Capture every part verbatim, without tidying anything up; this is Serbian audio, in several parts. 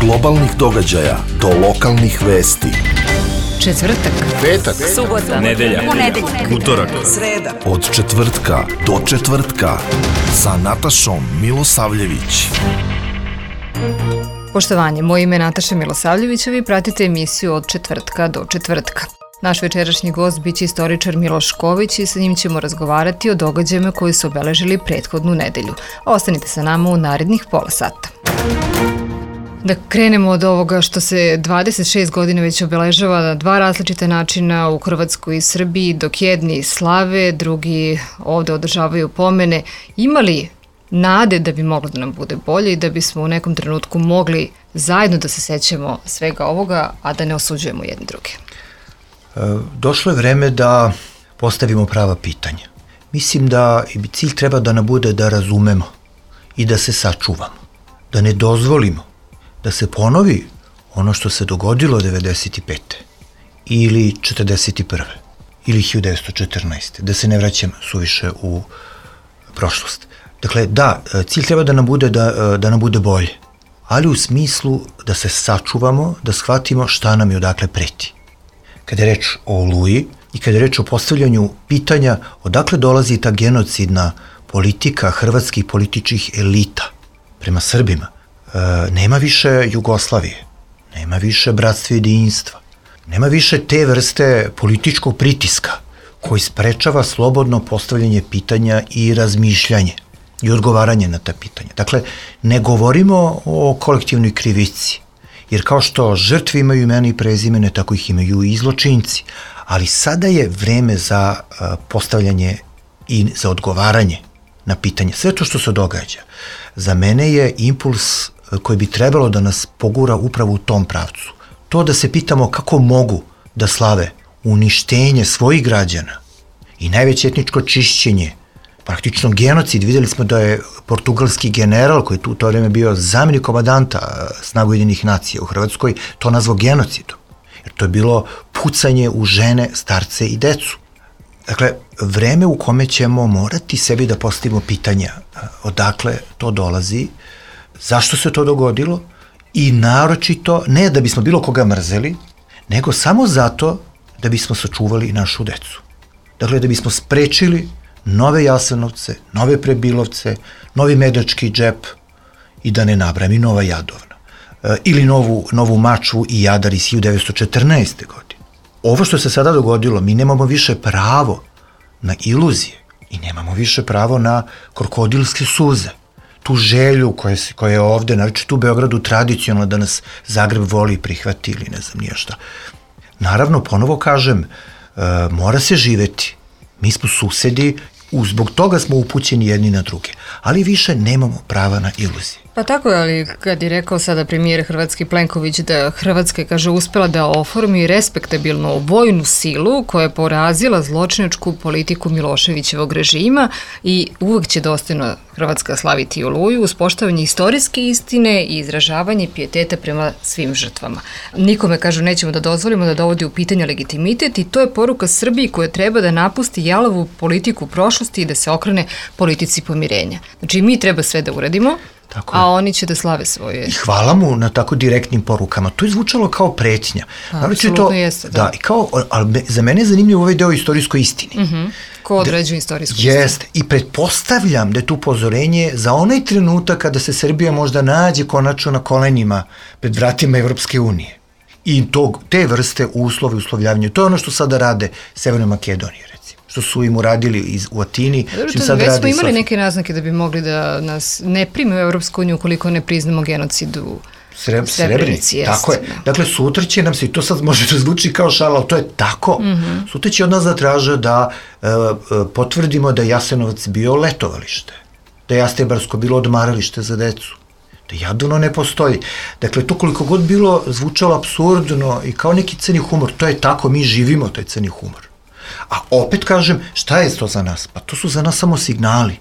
globalnih događaja do lokalnih vesti. Četvrtak, petak, subota, nedelja, ponedeljak, utorak, sreda. Od četvrtka do četvrtka sa Natašom Milosavljević. Poštovanje, moje ime je Nataša Milosavljević, a vi pratite emisiju Od četvrtka do četvrtka. Naš večerašnji gost biće istoričar Miloš Ković i sa njim ćemo razgovarati o događajima koji su obeležili prethodnu nedelju. Ostanite sa nama u narednih pola sata. Da krenemo od ovoga što se dvadeset šest godina već obeležava na dva različita načina u Hrvatskoj i Srbiji, dok jedni slave, drugi ovde održavaju pomene. Ima li nade da bi moglo da nam bude bolje i da bismo u nekom trenutku mogli zajedno da se sećamo svega ovoga, a da ne osuđujemo jedni druge? Došlo je vreme da postavimo prava pitanja. Mislim da i cilj treba da nam bude da razumemo i da se sačuvamo, da ne dozvolimo da se ponovi ono što se dogodilo devedeset pete ili četrdeset prve ili hiljadu devetsto četrnaeste. Da se ne vraćam suviše u prošlost. Dakle, da, cilj treba da nam bude, da, da nam bude bolje, ali u smislu da se sačuvamo, da shvatimo šta nam je odakle preti. Kada je reč o Oluji i kada je reč o postavljanju pitanja odakle dolazi ta genocidna politika hrvatskih političkih elita prema Srbima, e, nema više Jugoslavije, nema više bratstva i jedinstva, nema više te vrste političkog pritiska koji sprečava slobodno postavljanje pitanja i razmišljanje i odgovaranje na ta pitanja. Dakle, ne govorimo o kolektivnoj krivici, jer kao što žrtve imaju imena i prezimene, tako ih imaju i zločinci. Ali sada je vreme za postavljanje i za odgovaranje na pitanje. Sve to što se događa, za mene je impuls koji bi trebalo da nas pogura upravo u tom pravcu. To da se pitamo kako mogu da slave uništenje svojih građana i najveće etničko čišćenje, praktično genocid. Videli smo da je portugalski general, koji je tu u to vreme bio zamjenik komandanta snaga Ujedinjenih nacija u Hrvatskoj, to nazvao genocidom. Jer to je bilo pucanje u žene, starce i decu. Dakle, vreme u kome ćemo morati sebi da postavimo pitanja odakle to dolazi, zašto se to dogodilo i naročito ne da bismo bilo koga mrzeli, nego samo zato da bismo sačuvali našu decu. Dakle, da bismo sprečili nove Jasenovce, nove Prebilovce, novi Medački džep i da ne nabrajam i nova Jadovna. E, ili novu, novu Mačvu i Jadar iz hiljadu devetsto četrnaeste. godine. Ovo što se sada dogodilo, mi nemamo više pravo na iluzije i nemamo više pravo na krokodilske suze. Tu želju koja, koja je ovde, naročito u Beogradu, tradicionalno da nas Zagreb voli i prihvati ili ne znam nije šta. Naravno, ponovo kažem, e, mora se živeti. Mi smo susedi, zbog toga smo upućeni jedni na druge, ali više nemamo prava na iluzije. Pa tako je, ali kad je rekao sada premijer Hrvatski Plenković da Hrvatska je, kaže, uspela da oformi respektabilnu vojnu silu koja je porazila zločinačku politiku Miloševićevog režima i uvek će dostojno Hrvatska slaviti Oluju uz poštovanje istorijske istine i izražavanje pijeteta prema svim žrtvama. Nikome, kažu, nećemo da dozvolimo da dovodi u pitanje legitimitet i to je poruka Srbiji koja treba da napusti jalovu politiku prošlosti i da se okrene politici pomirenja. Znači, mi treba sve da uradimo, tako a oni će da slave svoje. I hvala mu na tako direktnim porukama. To je zvučalo kao pretnja. Apsolutno jeste. Da, i kao, ali za mene je zanimljiv ovaj deo istorijskoj istini. Uh-huh. Ko određuje istorijsku istinu? Jeste. I pretpostavljam da je tu upozorenje za onaj trenutak kada se Srbija možda nađe konačno na kolenima pred vratima Evropske unije. I tog, te vrste uslove, uslovljavanja. To je ono što sada rade Severnoj Makedoniji, što su im uradili iz, u Atini. Dobro, to već smo imali neke naznake da bi mogli da nas ne prime u Evropsku uniju ukoliko ne priznamo genocid u Sreb, Srebrenici. Jest, tako je. Da. Dakle, sutra će nam se, i to sad može da zvuči kao šala, ali to je tako. Mm-hmm. Sutra će od nas zatraža da e, potvrdimo da je Jasenovac bio letovalište, da je Jastebarsko bilo odmaralište za decu, da Jadovno ne postoji. Dakle, to koliko god bilo zvučalo apsurdno i kao neki crni humor, to je tako, mi živimo taj crni humor. A opet kažem, šta je to za nas? Pa to su za nas samo signali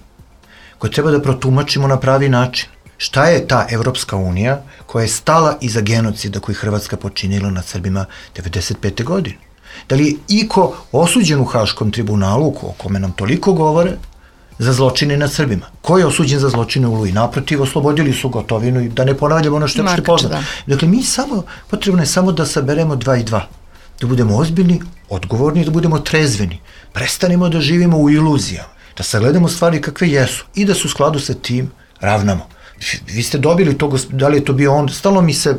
koje treba da protumačimo na pravi način. Šta je ta Evropska unija koja je stala iza genocida koji Hrvatska počinila nad Srbima devedeset pete. godine? Da li je iko osuđen u Haškom tribunalu, o kome nam toliko govore, za zločine nad Srbima. Ko je osuđen za zločine u Oluji? Naprotiv, oslobodili su Gotovinu i da ne ponavljamo ono što je opšte poznato. Dakle, mi samo, potrebno je samo da saberemo dva i dva. Da budemo ozbiljni, odgovorni, da budemo trezveni. Prestanemo da živimo u iluzijama. Da sagledamo stvari kakve jesu i da se u skladu sa tim ravnamo. Vi ste dobili to, da li je to bio on, stalno mi se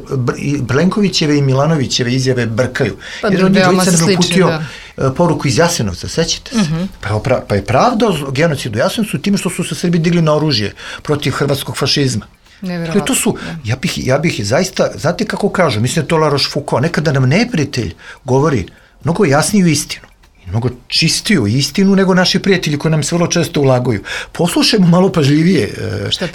Plenkovićeve i Milanovićeve izjave brkaju. Pa, jer on je dvojica nam uputio da. poruku iz Jasenovca, sećate se? Uh-huh. pa, opra, pa je pravdao genocid u Jasenovcu time što su se Srbi digli na oružje protiv hrvatskog fašizma. Dakle, to su, ja bih, ja bih zaista, znate kako kažu, mislim da to La Rochefoucauld, nekada nam neprijatelj govori mnogo jasniju istinu. Mnogo čistiju istinu nego naši prijatelji koji nam se vrlo često ulaguju. Poslušajmo malo pažljivije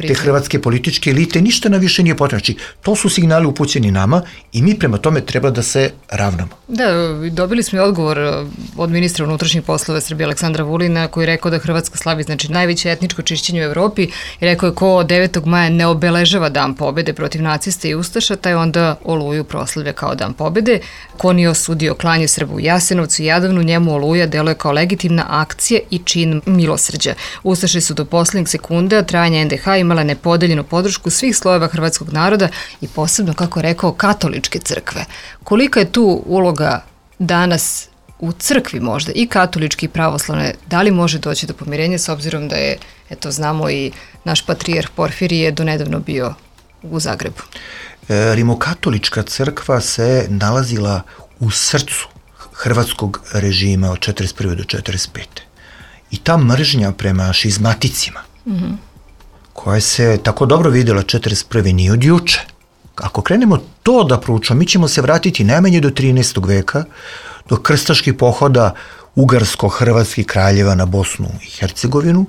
te hrvatske političke elite, ništa nam više nije potrebno. Znači, to su signali upućeni nama i mi prema tome treba da se ravnamo. Da, dobili smo i odgovor od ministra unutrašnjih poslova Srbije Aleksandra Vulina koji je rekao da Hrvatska slavi znači najveće etničko čišćenje u Evropi i rekao je ko devetog maja ne obeležava dan pobede protiv nacista i ustaša, taj onda Oluju proslavlja kao dan pobede. Ko nije osudio klanje Srba u Jasenovcu i Jadovnu, njemu Oluja deluje kao legitimna akcija i čin milosrđa. Ustaše su do poslednjeg sekunda trajanja en de ha imala nepodeljenu podršku svih slojeva hrvatskog naroda i posebno, kako je rekao, katoličke crkve. Kolika je tu uloga danas u crkvi možda i katoličke i pravoslavne? Da li može doći do pomirenja s obzirom da je, eto znamo i naš patrijarh Porfirije donedavno bio u Zagrebu? E, Rimokatolička crkva se nalazila u srcu hrvatskog režima od četrdeset prve do četrdeset pete. I ta mržnja prema šizmaticima, mm-hmm. koja se tako dobro vidjela četrdeset prve nije od juče. Ako krenemo to da proučamo, mi ćemo se vratiti najmanje do trinaestog veka, do krstaških pohoda ugarsko-hrvatskih kraljeva na Bosnu i Hercegovinu,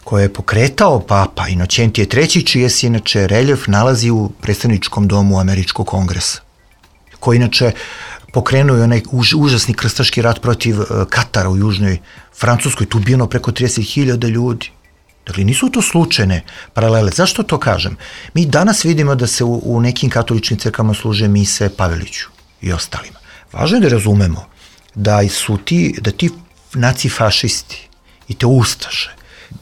koje je pokretao papa Inoćentije treći, čije se inače reljef nalazi u predstavničkom domu Američkog kongresa, koji inače pokrenuo je onaj už, užasni krstaški rat protiv uh, Katara u južnoj Francuskoj, tu ubijeno preko trideset hiljada ljudi. Dakle, nisu to slučajne paralele. Zašto to kažem? Mi danas vidimo da se u, u nekim katoličkim crkvama služe mise Paveliću i ostalima. Važno je da razumemo da su ti, da ti nacifašisti i te ustaše,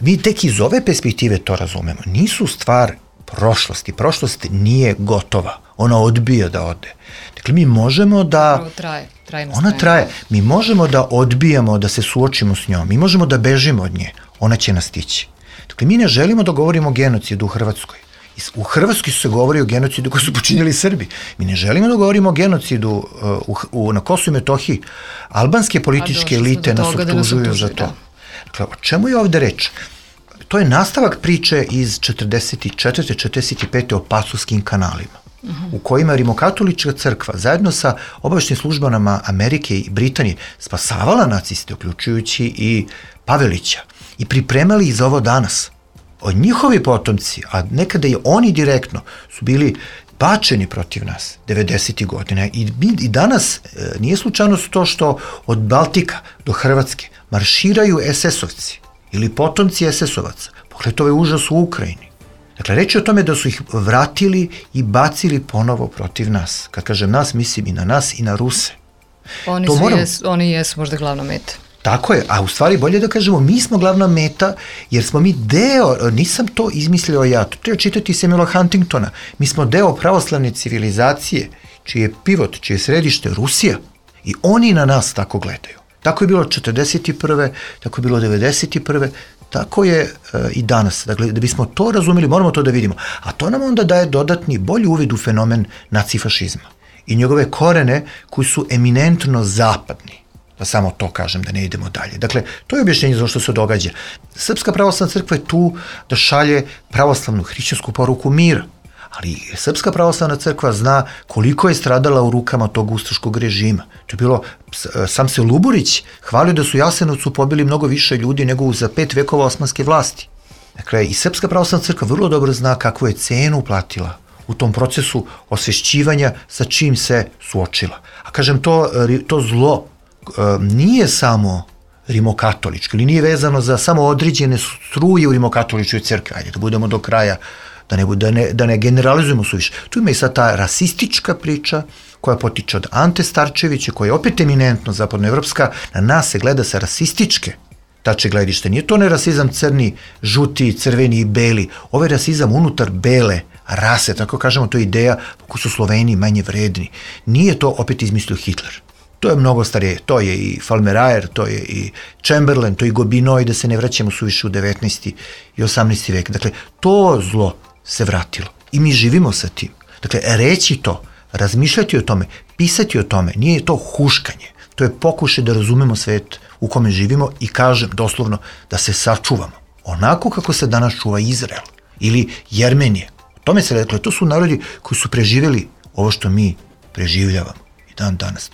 mi tek iz ove perspektive to razumemo, nisu stvar prošlosti. Prošlost nije gotova. Ona odbija da ode. Dakle, mi možemo da... Traje, ona traje. Mi možemo da odbijamo, da se suočimo s njom. Mi možemo da bežimo od nje. Ona će nas stići. Dakle, mi ne želimo da govorimo o genocidu u Hrvatskoj. U Hrvatskoj su se govori o genocidu koji su počinjeli Srbi. Mi ne želimo da govorimo o genocidu uh, u, u, na Kosovu i Metohiji. Albanske političke elite nas optužuju za to. Dakle, o čemu je ovde reč? To je nastavak priče iz četrdeset četvrte četrdeset pete o Pasovskim kanalima, uh-huh. u kojima Rimokatolička crkva zajedno sa obaveštajnim službama Amerike i Britanije spasavala naciste, uključujući i Pavelića, i pripremali ih za ovo danas. Od njihovi potomci, a nekada i oni direktno, su bili bačeni protiv nas devedesetih godina i, i danas e, nije slučajnost to što od Baltika do Hrvatske marširaju es esovci ili potomci es esovaca. Pogledajte ovaj užas u Ukrajini. Dakle, reč je o tome da su ih vratili i bacili ponovo protiv nas. Kad kažem nas, mislim i na nas i na Ruse. Oni, su moram... jes, oni jesu možda glavna meta. Tako je, a u stvari bolje da kažemo mi smo glavna meta jer smo mi deo, nisam to izmislio ja, to treba čitati Samuela Huntingtona, mi smo deo pravoslavne civilizacije, čiji je pivot, čije je središte Rusija i oni na nas tako gledaju. Tako je bilo četrdeset prve, tako je bilo devedeset prve, tako je e, i danas. Dakle, da bismo to razumeli, moramo to da vidimo. A to nam onda daje dodatni, bolji uvid u fenomen nacifašizma i njegove korene koji su eminentno zapadni. Da samo to kažem, da ne idemo dalje. Dakle, to je objašnjenje za što se događa. Srpska pravoslavna crkva je tu da šalje pravoslavnu hrišćansku poruku mira. Ali Srpska pravoslavna crkva zna koliko je stradala u rukama tog ustaškog režima. To je bilo, sam se Luburić hvalio da su u Jasenovcu pobili mnogo više ljudi nego za pet vekova osmanske vlasti. Dakle, i Srpska pravoslavna crkva vrlo dobro zna kakvu je cenu platila u tom procesu osvešćivanja sa čim se suočila. A kažem, to, to zlo nije samo rimokatoličko ili nije vezano za samo određene struje u rimokatoličkoj crkvi. Ajde, da budemo do kraja, da ne, da ne, da ne generalizujemo suviše. Tu ima i sad ta rasistička priča koja potiče od Ante Starčevića, koja je opet eminentno zapadnoevropska, na nas se gleda sa rasističke tače gledište. Nije to ne rasizam crni, žuti, crveni i beli. Ovo je rasizam unutar bele rase, tako kažemo, to je ideja kako su Sloveni manje vredni. Nije to opet izmislio Hitler. To je mnogo starije, to je i Falmerajer, to je i Chamberlain, to je i Gobineau, da se ne vraćamo suviše u devetnaesti i osamnaesti vek. Dakle, to zlo se vratilo i mi živimo sa tim. Dakle, reći to, razmišljati o tome, pisati o tome, nije to huškanje. To je pokušaj da razumemo svet u kome živimo i kažem doslovno da se sačuvamo. Onako kako se danas čuva Izrael ili Jermenije. O tome se reklo, to su narodi koji su preživjeli ovo što mi preživljavamo i dan danas.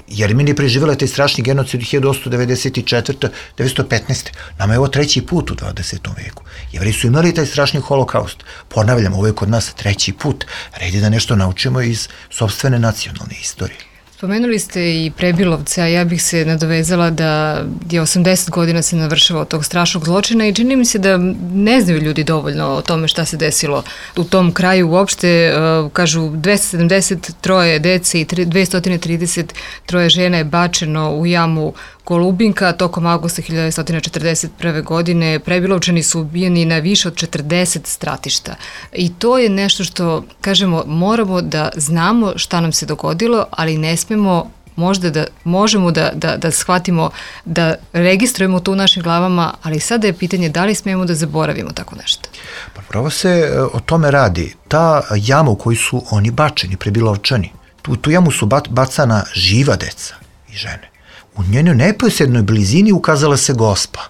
Jermenija je preživjela taj strašni genocid hiljadu osamsto devedeset četvrte do devetsto petnaeste. Nama je ovo treći put u dvadesetom veku. Jevreji su imali taj strašni holokaust. Ponavljam, ovo je kod nas treći put. Red je da nešto naučimo iz sopstvene nacionalne istorije. Spomenuli ste i Prebilovce, a ja bih se nadovezala da je osamdeset godina se navršava od tog strašnog zločina i čini mi se da ne znaju ljudi dovoljno o tome šta se desilo u tom kraju uopšte. Kažu dvesta sedamdeset troje dece i dvesta trideset troje žena je bačeno u jamu Golubinka tokom avgusta hiljadu devetsto četrdeset prve. godine. Prebilovčani su ubijeni na više od četrdeset stratišta. I to je nešto što, kažemo, moramo da znamo šta nam se dogodilo, ali ne smemo možda da možemo da, da, da shvatimo, da registrujemo to u našim glavama, ali sada je pitanje da li smemo da zaboravimo tako nešto. Pa pravo se o tome radi. Ta jama u kojoj su oni bačeni, Prebilovčani, tu, tu jamu su bacana živa deca i žene. U njenoj neposrednoj blizini ukazala se Gospa,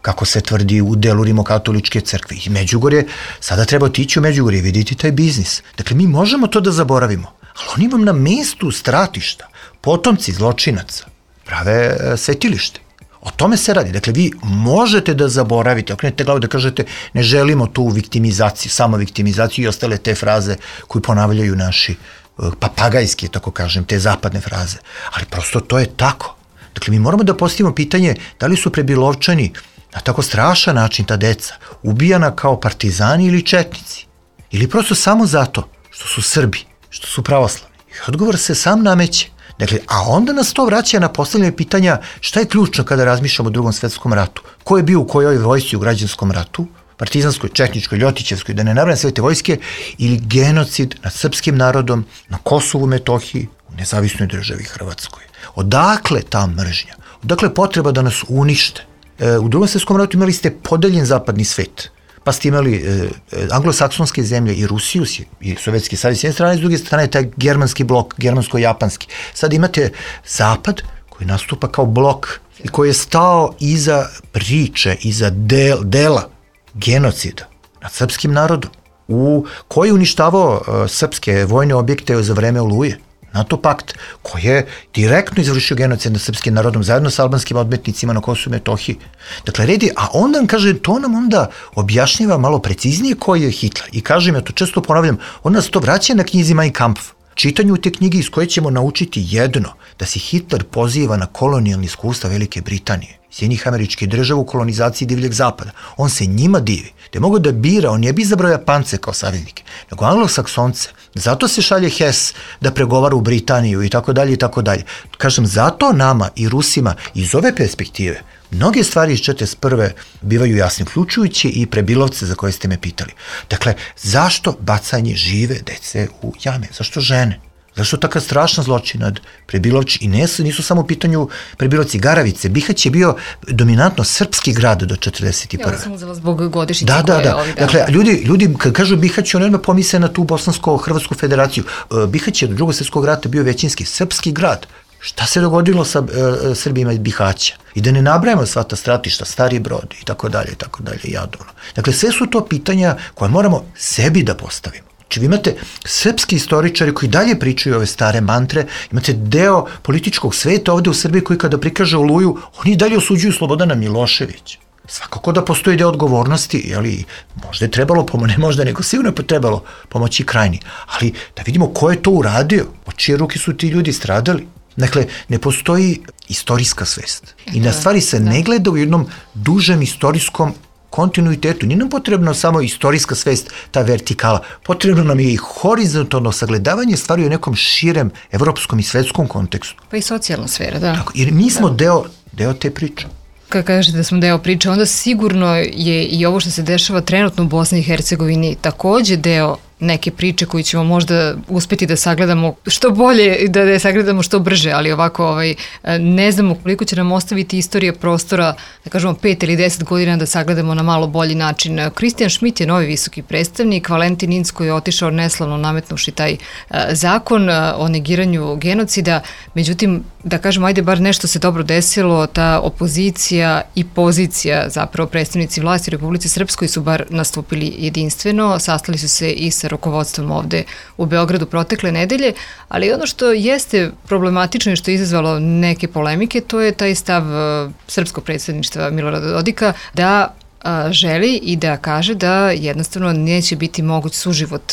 kako se tvrdi u delu Rimokatoličke crkve. I Međugorje, sada treba otići u Međugorje i vidjeti taj biznis. Dakle, mi možemo to da zaboravimo, ali oni vam na mestu stratišta, potomci zločinaca, prave svetilište. O tome se radi. Dakle, vi možete da zaboravite, okrenete glavu da kažete ne želimo tu viktimizaciju, samo viktimizaciju i ostale te fraze koje ponavljaju naši papagajski, tako kažem, te zapadne fraze. Ali prosto to je tako. Dakle, mi moramo da postavimo pitanje da li su Prebilovčani na tako strašan način, ta deca, ubijana kao partizani ili četnici. Ili prosto samo zato što su Srbi, što su pravoslavni. I odgovor se sam nameće. Dakle, a onda nas to vraća na postavljanje pitanja šta je ključno kada razmišljamo o Drugom svetskom ratu. Ko je bio u kojoj vojsci u građanskom ratu, partizanskoj, četničkoj, ljotićevskoj, da ne nabrajam sve te vojske, ili genocid nad srpskim narodom na Kosovu, Metohiji, u nezavisnoj državi Hrvatskoj. Odakle ta mržnja? Odakle potreba da nas unište? E, u Drugom svetskom ratu imali ste podeljen zapadni svet, pa ste imali e, anglosaksonske zemlje i Rusiju i Sovjetski savez s jedne strane, s druge strane taj germanski blok, germansko-japanski. Sad imate zapad koji nastupa kao blok i koji je stao iza priče, iza del, dela genocida nad srpskim narodom, u koji je uništavao uh, srpske vojne objekte za vreme Oluje. NATO pakt, koji je direktno izvršio genocid nad srpskim narodom zajedno sa albanskim odmetnicima na Kosovu i Metohiji. Dakle, redi, a onda nam kaže, to nam onda objašnjava malo preciznije koji je Hitler. I kažem, ja to često ponavljam, on nas to vraća na knjizi Mein Kampf. Čitanju te knjige iz koje ćemo naučiti jedno, da se Hitler poziva na kolonijalni iskustva Velike Britanije, Sjedinjenih Američkih Država u kolonizaciji divljeg zapada. On se njima divi, da je mogao da bira, on je bi izabrao Japance kao saveznike, nego Anglosaksonce. Zato se šalje Hess da pregovara u Britaniju i tako dalje i tako dalje. Kažem, zato nama i Rusima iz ove perspektive mnoge stvari iz četrdeset prve bivaju jasne, uključujući i Prebilovce za koje ste me pitali. Dakle, zašto bacanje žive dece u jame? Zašto žene? Zašto takav strašan zločin nad Prebilovči? I nisu, nisu samo u pitanju Prebilovci, Garavice. Bihać je bio dominantno srpski grad do četrdeset prve. Ja sam uzela zbog godišnjice da, koje da, da. Ovi dan. Dakle, ljudi, ljudi kad kažu Bihać, oni odmah pomisle na tu Bosansko-Hrvatsku federaciju. Bihać je do Drugog svjetskog rata bio većinski srpski grad. Šta se dogodilo sa uh, Srbima iz Bihaća? I da ne nabrajamo sva ta stratišta, Stari Brod i tako dalje, i tako dalje, Jadovno. Dakle, sve su to pitanja koje moramo sebi da postavimo. Znači, vi imate srpski istoričari koji dalje pričaju ove stare mantre, imate deo političkog sveta ovde u Srbiji koji kada prikaže Oluju, oni dalje osuđuju Slobodana Miloševića. Svakako da postoji deo odgovornosti, ali možda je trebalo pomoći, ne možda, nego sigurno je trebalo pomoći Krajini, ali da vidimo ko je to uradio, od čije ruke su ti ljudi stradali. Dakle, ne postoji istorijska svest i na stvari se ne gleda u jednom dužem istorijskom kontinuitetu. Nije nam potrebno samo istorijska svest, ta vertikala. Potrebno nam je i horizontalno sagledavanje stvari u nekom širem evropskom i svetskom kontekstu. Pa i socijalna sfera, da. Tako, jer mi smo da. deo, deo te priče. Kad kažete da smo deo priče, onda sigurno je i ovo što se dešava trenutno u Bosni i Hercegovini takođe deo neke priče koju ćemo možda uspeti da sagledamo što bolje i da je sagledamo što brže, ali ovako ovaj, ne znamo koliko će nam ostaviti istorija prostora, da kažemo pet ili deset godina da sagledamo na malo bolji način. Kristijan Šmit je novi visoki predstavnik, Valentin Incko je otišao neslavno nametnuši taj zakon o negiranju genocida, međutim, da kažemo, ajde bar nešto se dobro desilo, ta opozicija i pozicija, zapravo predstavnici vlasti u Republici Srpskoj su bar nastupili jedinstveno, sastali su se i sa rukovodstvom ovde u Beogradu protekle nedelje, ali ono što jeste problematično i što je izazvalo neke polemike, to je taj stav srpskog predsjedništva Milorada Dodika da a, želi i da kaže da jednostavno neće biti moguć suživot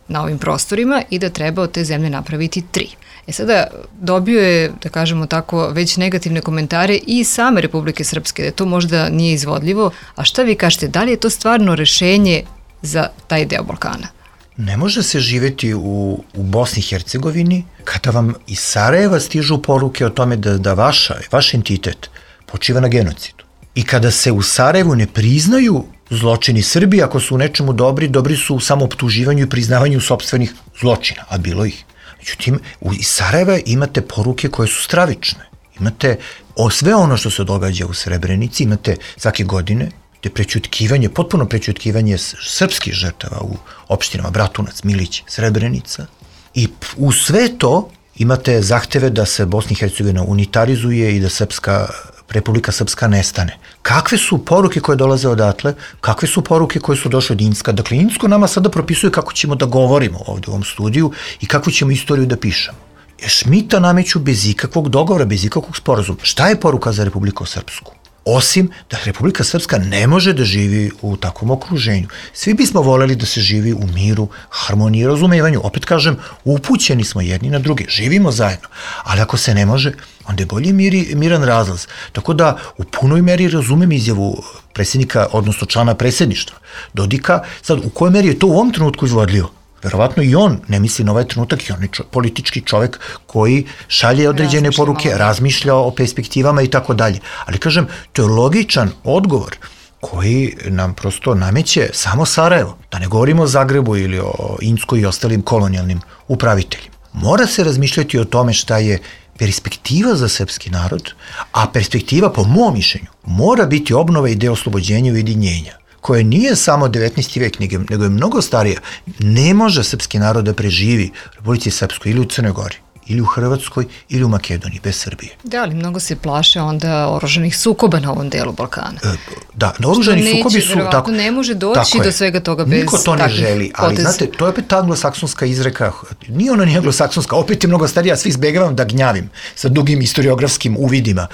na ovim prostorima i da treba od te zemlje napraviti tri. E sada dobio je, da kažemo tako, već negativne komentare i same Republike Srpske, da to možda nije izvodljivo, a šta vi kažete, da li je to stvarno rešenje za taj deo Balkana? Ne može se živeti u, u Bosni i Hercegovini kada vam iz Sarajeva stižu poruke o tome da, da vaša, vaš entitet počiva na genocidu. I kada se u Sarajevu ne priznaju zločini Srbije, ako su u nečemu dobri, dobri su u samooptuživanju i priznavanju sopstvenih zločina, a bilo ih. Međutim, iz Sarajeva imate poruke koje su stravične. Imate o sve ono što se događa u Srebrenici, imate svake godine te prećutkivanje, potpuno prećutkivanje srpskih žrtava u opštinama Bratunac, Milić, Srebrenica. I u sve to imate zahteve da se Bosna i Hercegovina unitarizuje i da Srpska, Republika Srpska nestane. Kakve su poruke koje dolaze odatle? Kakve su poruke koje su došle od Incka? Dakle, Incko nama sada propisuje kako ćemo da govorimo ovde u ovom studiju i kakvu ćemo istoriju da pišemo. Šmita nameću bez ikakvog dogovora, bez ikakvog sporazuma. Šta je poruka za Republiku Srpsku? Osim da Republika Srpska ne može da živi u takvom okruženju. Svi bismo voleli da se živi u miru, harmoniji i razumevanju. Opet kažem, upućeni smo jedni na druge, živimo zajedno. Ali ako se ne može, onda je bolji miri, miran razlaz. Tako da u punoj meri razumem izjavu predsjednika, odnosno člana predsjedništva Dodika. Sad, u kojoj meri je to u ovom trenutku izvodljivo? Verovatno i on ne misli na ovaj trenutak i on je čo, politički čovek koji šalje određene razmišlja poruke, malo. Razmišlja o perspektivama i tako dalje. Ali kažem, to je logičan odgovor koji nam prosto nameće samo Sarajevo. Da ne govorimo o Zagrebu ili o Incku i ostalim kolonijalnim upraviteljima. Mora se razmišljati o tome šta je perspektiva za srpski narod, a perspektiva, po mom mišljenju, mora biti obnova ideje oslobođenja i ujedinjenja, koje nije samo devetnaesti vek, nego je mnogo starija. Ne može srpski narod da preživi u Republici Srpskoj ili u Crnoj Gori, ili u Hrvatskoj, ili u Makedoniji, bez Srbije. Da, ali mnogo se plaše onda oružanih sukoba na ovom delu Balkana. E, da, na oružani neće, sukobi su... Tako, ne može doći do svega toga bez niko to ne želi, ali potez. Znate, to je opet ta anglosaksonska izreka, nije ona ni anglosaksonska, opet je mnogo starija, svi izbegavam da gnjavim sa dugim historiografskim uvidima.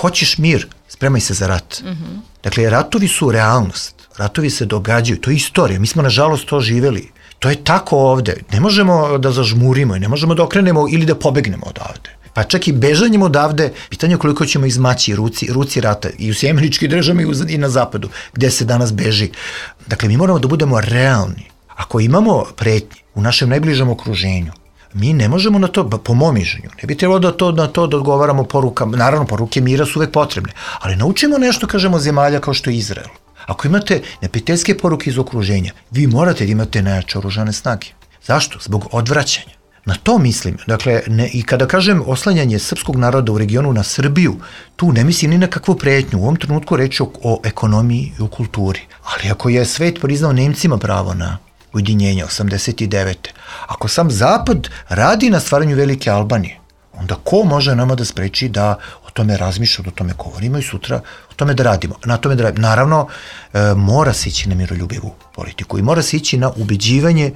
Hoćeš mir, spremaj se za rat. Mm-hmm. Dakle, ratovi su realnost. Ratovi se događaju, to je istorija, mi smo nažalost to živeli. To je tako ovde, ne možemo da zažmurimo i ne možemo da okrenemo ili da pobegnemo odavde. Pa čak i bežanjem odavde, pitanje je koliko ćemo izmaći ruci, ruci rata i u Sjemeničkih državama i na zapadu, gde se danas beži. Dakle, mi moramo da budemo realni. Ako imamo pretnje u našem najbližem okruženju, mi ne možemo na to, po mom mišljenju, ne bi trebalo da to, na to da odgovaramo porukama, naravno poruke mira su uvek potrebne, ali naučimo nešto, kažemo, zemalja kao što je Izrael. Ako imate neprijateljske poruke iz okruženja, vi morate da imate najjače oružane snage. Zašto? Zbog odvraćanja. Na to mislim. Dakle, ne, i kada kažem oslanjanje srpskog naroda u regionu na Srbiju, tu ne mislim ni na kakvu pretnju. U ovom trenutku reč je o, o ekonomiji i o kulturi. Ali ako je svet priznao Nemcima pravo na ujedinjenje osamdeset devete. Ako sam Zapad radi na stvaranju Velike Albanije, onda ko može nama da spreči da o tome razmišljamo, o tome govorimo i sutra o tome da radimo. Na tome da radimo. Naravno, e, mora se ići na miroljubivu politiku i mora se ići na ubeđivanje, e,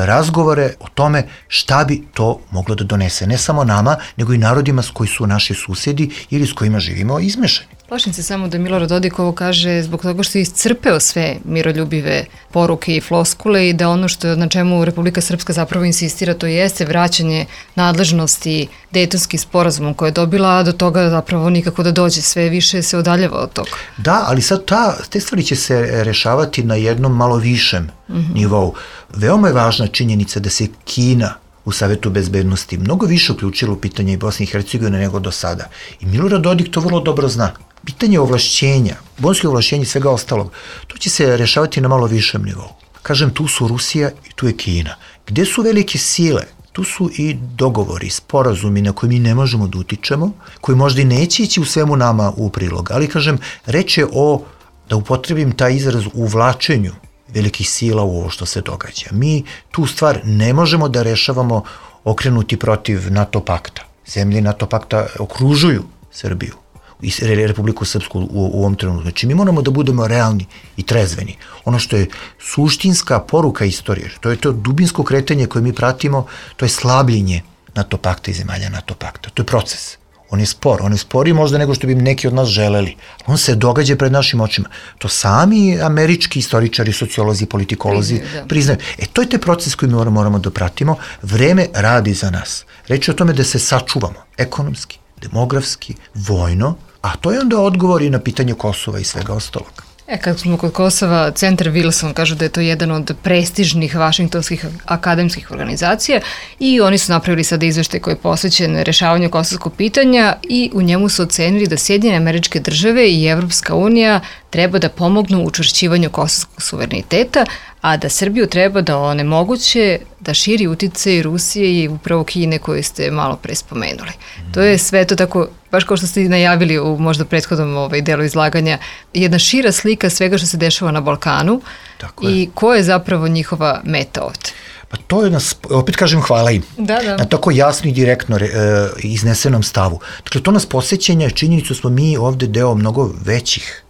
razgovore o tome šta bi to moglo da donese. Ne samo nama, nego i narodima s koji su naši susedi ili s kojima živimo izmešani. Plašim se samo da Milorad Dodik ovo kaže zbog toga što je iscrpeo sve miroljubive poruke i floskule i da ono što na čemu Republika Srpska zapravo insistira, to jeste vraćanje nadležnosti Dejtonskim sporazumom koje je dobila, a do toga zapravo nikako da dođe, sve više se odaljeva od toga. Da, ali sad ta, te stvari će se rešavati na jednom malo višem mm-hmm. nivou. Veoma je važna činjenica da se Kina u Savetu bezbednosti mnogo više uključilo u pitanje i Bosne i Hercegovine nego do sada. I Milorad Dodik to vrlo dobro zna. pitanje ovlašćenja, bonske ovlašćenja i svega ostalog, to će se rešavati na malo višem nivou. Kažem, tu su Rusija i tu je Kina. Gde su velike sile? Tu su i dogovori, sporazumi na koje mi ne možemo da utičemo, koji možda i neće ići u svemu nama u prilog. Ali, kažem, reč je o, da upotrebim taj izraz, uvlačenju velikih sila u ovo što se događa. Mi tu stvar ne možemo da rešavamo okrenuti protiv NATO pakta. Zemlje NATO pakta okružuju Srbiju i Republiku Srpsku u, u ovom trenutku. Znači, mi moramo da budemo realni i trezveni. Ono što je suštinska poruka istorije, to je to dubinsko kretanje koje mi pratimo, to je slabljenje NATO pakta i zemalja NATO pakta. To je proces. On je spor. On je sporiji možda nego što bi neki od nas želeli. On se događa pred našim očima. To sami američki istoričari, sociolozi, politikolozi priznaju. priznaju. E, to je taj proces koji mi moramo da pratimo. Vreme radi za nas. Reč je o tome da se sačuvamo ekonomski, demografski, vojno, a to je onda odgovor i na pitanje Kosova i svega ostalog. E, kad smo kod Kosova, Centar Wilson kažu da je to jedan od prestižnih vašingtonskih akademskih organizacija i oni su napravili sada izveštaj koji je posvećen rešavanju kosovskog pitanja i u njemu su ocenili da Sjedinjene Američke Države i Evropska unija treba da pomognu u učvršćivanju kosovskog suvereniteta, a da Srbiju treba da onemoguće da širi uticaj Rusije i upravo Kine koju ste malo pre spomenuli. Mm. To je sve to tako, baš kao što ste najavili u možda prethodnom ovaj, delu izlaganja, jedna šira slika svega što se dešava na Balkanu. Tako i je. Ko je zapravo njihova meta ovde? Pa to je nas, opet kažem hvala im, da, da. na tako jasno i direktno e, iznesenom stavu. Dakle, to nas podsjećanja, činjenicu smo mi ovde deo mnogo većih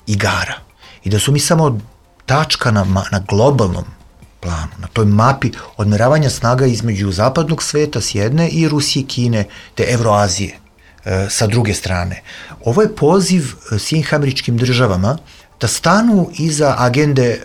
igara i da su mi samo tačka na, na globalnom planu, na toj mapi odmeravanja snaga između zapadnog sveta s jedne i Rusije, Kine, te Evroazije e, sa druge strane. Ovo je poziv Sjedinjenim Američkim Državama da stanu iza agende e,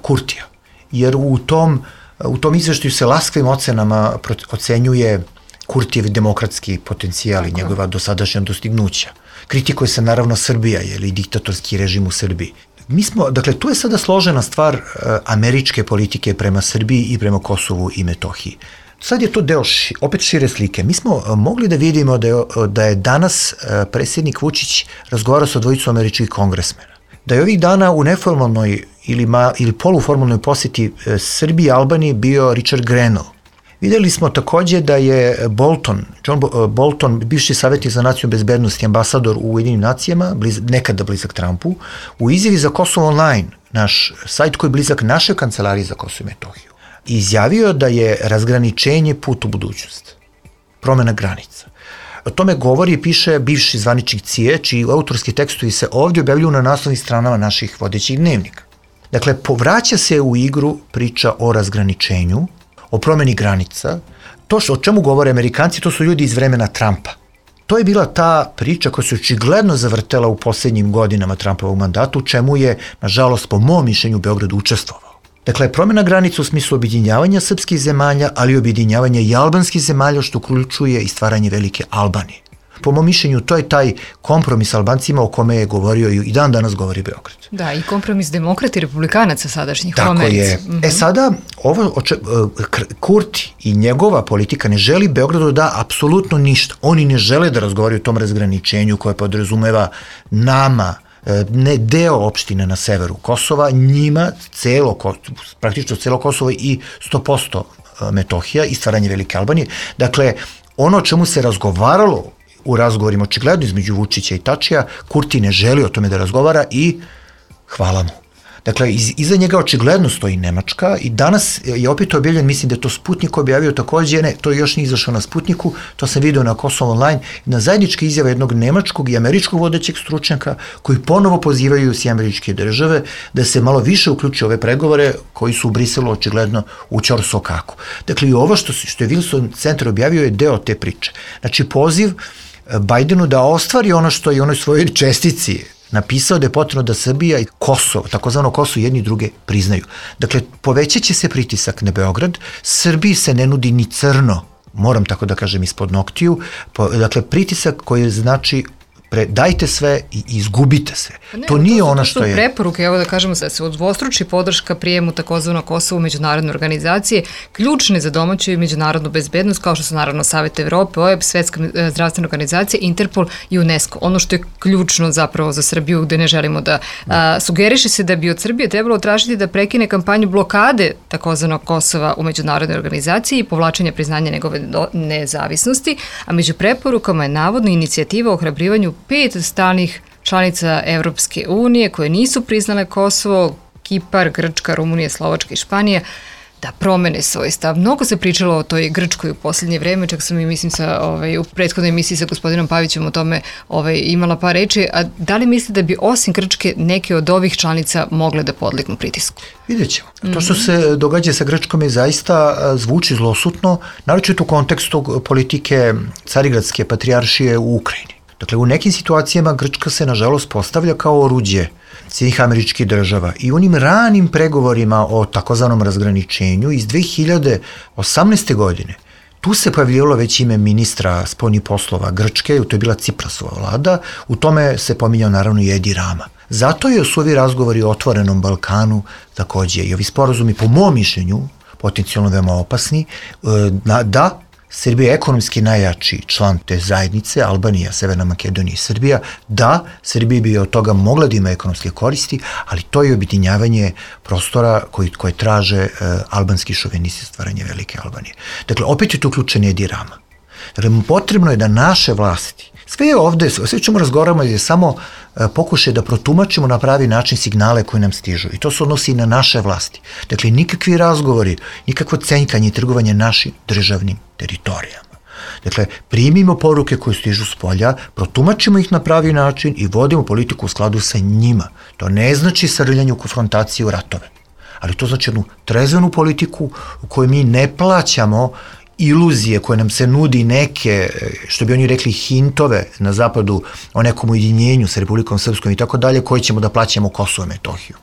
Kurtija, jer u tom, u tom izveštaju se laskavim ocenama ocenjuje Kurtijev demokratski potencijal i njegova dosadašnja dostignuća. Kritikuje se naravno Srbija, jer i diktatorski režim u Srbiji. Mi smo, dakle, tu je sada složena stvar uh, američke politike prema Srbiji i prema Kosovu i Metohiji. Sad je to deo ši, opet šire slike. Mi smo uh, mogli da vidimo da je, da je danas uh, predsjednik Vučić razgovarao sa dvojicom američkih kongresmena. Da je ovih dana u neformalnoj ili, ma, ili poluformalnoj posjeti uh, Srbiji i Albaniji bio Richard Grenell. Videli smo takođe da je Bolton, John Bolton, bivši savjetnik za nacionalnu bezbednost i ambasador u Ujedinjenim nacijama, bliz, nekada blizak Trumpu, u izjavi za Kosovo Online, naš sajt koji je blizak našoj kancelariji za Kosovo i Metohiju, izjavio da je razgraničenje put u budućnost, promena granica. O tome govori i piše bivši zvaničnik C I E, čiji autorski tekstovi se ovdje objavljuju na naslovnim stranama naših vodećih dnevnika. Dakle, povraća se u igru priča o razgraničenju, o promeni granica. To što, o čemu govore Amerikanci, to su ljudi iz vremena Trumpa. To je bila ta priča koja se očigledno zavrtela u posljednjim godinama Trumpovog mandata, u čemu je, nažalost, po mom mišljenju, Beograd učestvovao. Dakle, promena granica u smislu objedinjavanja srpskih zemalja, ali i objedinjavanja i albanskih zemalja, što uključuje i stvaranje velike Albanije. Po mom mišljenju, to je taj kompromis Albancima o kome je govorio i dan danas govori Beograd. Da, i kompromis demokrata i republikanaca sadašnjih. Tako je. Mm-hmm. E sada, ovo, oče, Kurti i njegova politika ne želi Beogradu da apsolutno ništa. Oni ne žele da razgovaraju o tom razgraničenju koje podrazumeva nama, ne deo opštine na severu Kosova, njima celo, praktično celo Kosovo i sto posto Metohija i stvaranje velike Albanije. Dakle, ono o čemu se razgovaralo u razgovorima očigledno između Vučića i Tačija, Kurti ne želi o tome da razgovara i hvala mu. Dakle, iz, iza njega očigledno stoji Nemačka i danas je opet objavljen, mislim da je to Sputnik objavio takođe, ne, to još nije izašao na Sputniku, to sam vidio na Kosovo Online, na zajedničke izjave jednog nemačkog i američkog vodećeg stručnjaka koji ponovo pozivaju Sjedinjene Američke Države da se malo više uključi ove pregovore koji su u Briselu očigledno u ćorsokaku. Dakle, i ovo što, što je Wilson centar objavio je deo te priče. Znači, poziv Bajdenu da ostvari ono što je u onoj svojoj čestici napisao da je potrebno da Srbija i Kosovo, takozvano Kosovo, jedni druge priznaju. Dakle, povećat će se pritisak na Beograd, Srbiji se ne nudi ni crno, moram tako da kažem, ispod noktiju, dakle, pritisak koji znači Pre, dajte sve i izgubite se. Ne, to nije to su, ono to što je... preporuke, evo da kažemo da se udvostruči podrška prijemu takozvano Kosovo u međunarodne organizacije, ključne za domaću i međunarodnu bezbednost, kao što su naravno Savet Evrope, O E B S, Svetska zdravstvena organizacija, Interpol i UNESCO. Ono što je ključno zapravo za Srbiju, gde ne želimo da a, sugeriše se da bi od Srbije trebalo tražiti da prekine kampanju blokade takozvanog Kosova u međunarodnoj organizaciji i povlačenja priznanja njegove nezavisnosti, a među preporukama je navodno inicijativa o ohrabrivanju pet stalnih članica Evropske unije koje nisu priznale Kosovo, Kipar, Grčka, Rumunija, Slovačka i Španija, da promene svoj stav. Mnogo se pričalo o toj Grčkoj u posljednje vreme, čak sam i mislim sa, ovaj, u prethodnoj emisiji sa gospodinom Pavićem o tome ovaj, imala par reči, a da li mislite da bi osim Grčke neke od ovih članica mogle da podlegnu pritisku? Vidjet ćemo. Mm-hmm. To što se događa sa Grčkom je zaista zvuči zlosutno, naročito u kontekstu politike Carigradske patrijaršije u Ukrajini. Dakle, u nekim situacijama Grčka se, nažalost, postavlja kao oruđe Sjedinjenih Američkih Država i u onim ranim pregovorima o takozvanom razgraničenju iz dve hiljade osamnaeste. godine tu se pojavljivalo već ime ministra spoljnih poslova Grčke, to je bila Ciprasova vlada, u tome se pominjao naravno i Edi Rama. Zato je su ovi razgovori o otvorenom Balkanu takođe i ovi sporazumi, po mom mišljenju, potencijalno veoma opasni, da Srbija je ekonomski najjači član te zajednice, Albanija, Severna Makedonija i Srbija, da, Srbija bi od toga mogla da ima ekonomske koristi, ali to je objedinjavanje prostora koji, koje traže uh, albanski šovinisti, stvaranje velike Albanije. Dakle, opet je tu uključen Edi Rama. Dakle, potrebno je da naše vlasti, sve je ovde, sve čemu razgovaramo je samo uh, pokušaj da protumačimo na pravi način signale koje nam stižu i to se odnosi i na naše vlasti. Dakle, nikakvi razgovori, nikakvo cenjkanje i trgovanje našim državnim teritorijama. Dakle, primimo poruke koje stižu s polja, protumačimo ih na pravi način i vodimo politiku u skladu sa njima. To ne znači srljanje u konfrontaciju u ratove, ali to znači jednu trezvenu politiku u kojoj mi ne plaćamo iluzije koje nam se nudi neke, što bi oni rekli, hintove na zapadu o nekom ujedinjenju sa Republikom Srpskom i tako dalje, koje ćemo da plaćamo Kosovo i Metohiju.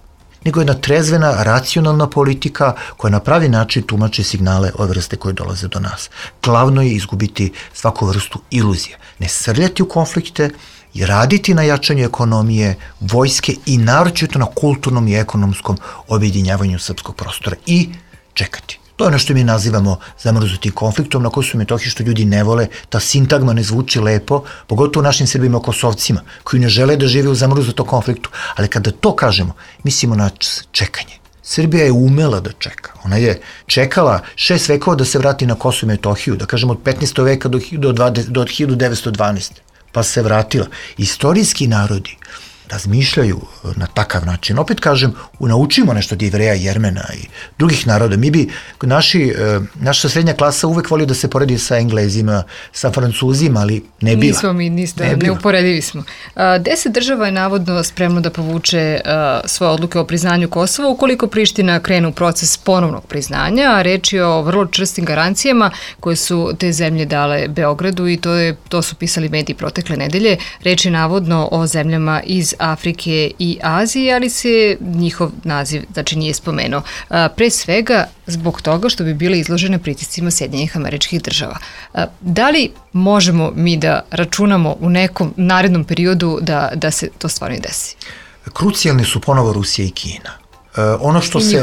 Nego jedna trezvena, racionalna politika koja na pravi način tumači signale ove vrste koje dolaze do nas. Glavno je izgubiti svaku vrstu iluzije. Ne srljati u konflikte i raditi na jačanju ekonomije, vojske i naročito na kulturnom i ekonomskom objedinjavanju srpskog prostora i čekati. To je ono što mi nazivamo zamrznutim konfliktom na Kosovu i Metohiji, što ljudi ne vole, ta sintagma ne zvuči lepo, pogotovo našim Srbima Kosovcima, koji ne žele da žive u zamrznutom konfliktu, ali kada to kažemo, mislimo na čekanje. Srbija je umela da čeka. Ona je čekala šest vekova da se vrati na Kosovo i Metohiju, da kažemo od petnaestog veka do, do, do hiljadu devetsto dvanaeste. Pa se vratila. Istorijski narodi razmišljaju na takav način. Opet kažem, naučimo nešto od Jevreja, Jermena i drugih naroda. Mi bi, naši, naša srednja klasa uvek volio da se poredi sa Englezima, sa Francuzima, ali ne bila. Nismo mi, niste, ne neuporedivi smo. Deset država je navodno spremno da povuče svoje odluke o priznanju Kosova ukoliko Priština krene u proces ponovnog priznanja, a reč je o vrlo čvrstim garancijama koje su te zemlje dale Beogradu i to, je, to su pisali mediji protekle nedelje. Reč je navodno o zemljama iz Afrike i Azije, ali se njihov naziv znači nije spomenuo. Pre svega zbog toga što bi bile izložene pritiscima Sjedinjenih Američkih Država. Da li možemo mi da računamo u nekom narednom periodu da, da se to stvarno i desi? Krucijalni su ponovo Rusija i Kina. Ono što se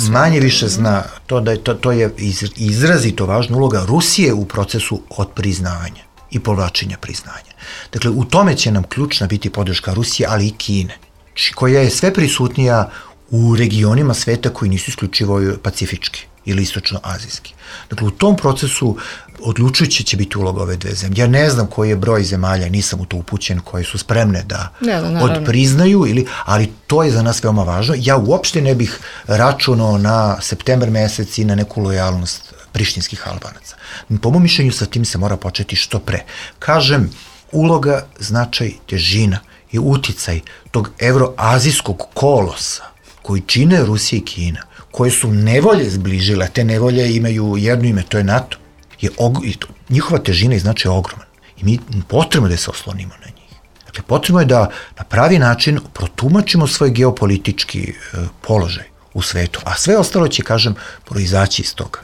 manje više zna, to, da je, to, to je izrazito važna uloga Rusije u procesu odpriznavanja i povlačenja priznanja. Dakle, u tome će nam ključna biti podrška Rusije, ali i Kine, koja je sve prisutnija u regionima sveta koji nisu isključivo pacifički ili istočno-azijski. Dakle, u tom procesu odlučujuće će biti uloga ove dve zemlje. Ja ne znam koji je broj zemalja, nisam u to upućen, koje su spremne da ne, da, odpriznaju, ili, ali to je za nas veoma važno. Ja uopšte ne bih računao na septembar mesec i na neku lojalnost prištinskih Albanaca. Po mom mišljenju sa tim se mora početi što pre. Kažem, uloga, značaj, težina i uticaj tog evroazijskog kolosa koji čine Rusija i Kina, koje su nevolje zbližile, te nevolje imaju jedno ime, to je NATO, je og, njihova težina i značaj je ogroman. I mi potrebno da se oslonimo na njih. Dakle, potrebno je da na pravi način protumačimo svoj geopolitički e, položaj u svetu, a sve ostalo će, kažem, proizaći iz toga.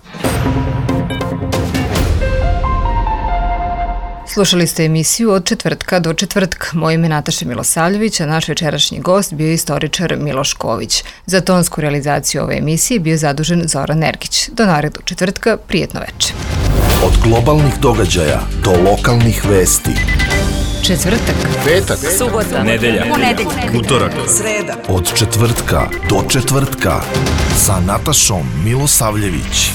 Slušali ste emisiju Od četvrtka do četvrtka. Moje ime je Nataša Milosavljević, a naš večerašnji gost bio je istoričar Miloš Ković. Za tonsku realizaciju ove emisije bio je zadužen Zoran Nergić. Do narednog četvrtka, prijetno veče. Od globalnih događaja do lokalnih vesti. Četvrtak, Petak, subota, nedelja, ponedeljak, utorak, sreda. od četvrtka do četvrtka sa Natašom Milosavljević.